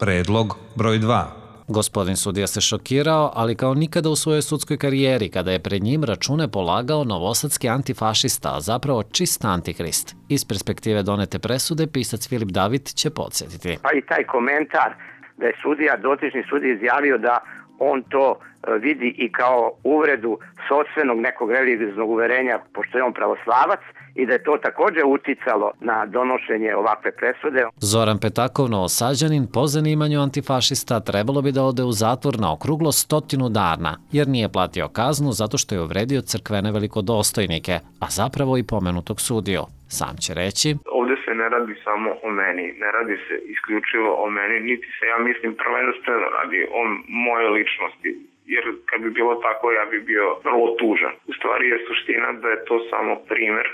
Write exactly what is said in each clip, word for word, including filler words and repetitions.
Predlog broj dva. Gospodin sudija se šokirao, ali kao nikada u svojoj sudskoj karijeri, kada je pred njim račune polagao novosadski antifašista, a zapravo čist antikrist. Iz perspektive donete presude, pisac Filip David će podsjetiti. Pa i taj komentar da je sudija, dotični sudija izjavio da on to vidi i kao uvredu sopstvenog nekog religioznog uverenja, pošto je on pravoslavac, i da je to također uticalo na donošenje ovakve presude. Zoran Petakov, novosađanin, po zanimanju antifašista, trebalo bi da ode u zatvor na okruglo stotinu dana, jer nije platio kaznu zato što je uvredio crkvene velikodostojnike, a zapravo i pomenutog sudiju. Sam će reći: ovde se ne radi samo o meni, ne radi se isključivo o meni, niti se, ja mislim, prvenstveno radi o moje ličnosti. Jer kad bi bilo tako, ja bi bio vrlo tužan. U stvari je suština da je to samo primer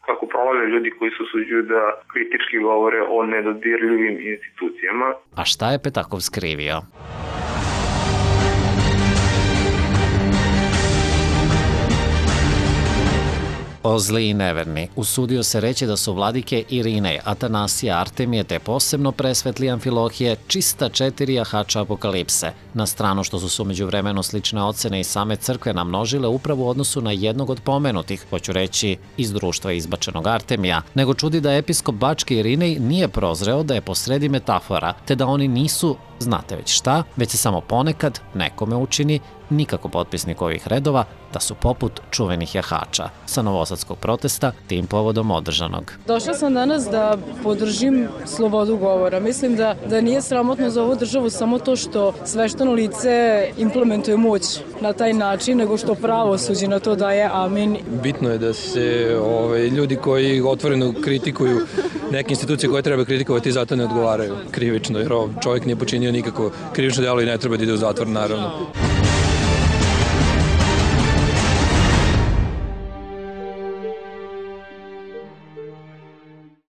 kako prolaze ljudi koji se usuđuju da kritički govore o nedodirljivim institucijama. A šta je Petakov skrivio? O zli i neverni, usudio se reći da su vladike Irinej, Atanasija, Artemije te posebno presvetli Amfilohije čista četiri jahača apokalipse, na stranu što su se umeđu vremenu slične ocene i same crkve namnožile upravo u odnosu na jednog od pomenutih, hoću reći iz društva izbačenog Artemija, nego čudi da episkop Bački Irinej nije prozreo da je posredi metafora, te da oni nisu, znate već šta, već se samo ponekad nekome učini, nikako potpisnik ovih redova, da su poput čuvenih jahača sa novosadskog protesta tim povodom održanog. Došla sam danas da podržim slobodu govora. Mislim da, da nije sramotno za ovu državu samo to što svešteno lice implementuje moć na taj način, nego što pravosuđe na to daje amin. Bitno je da se ovaj, ljudi koji otvoreno kritikuju neke institucije koje treba kritikovati zato ne odgovaraju krivično, jer čovjek nije počinio nikako krivično delo i ne treba da ide u zatvor, naravno.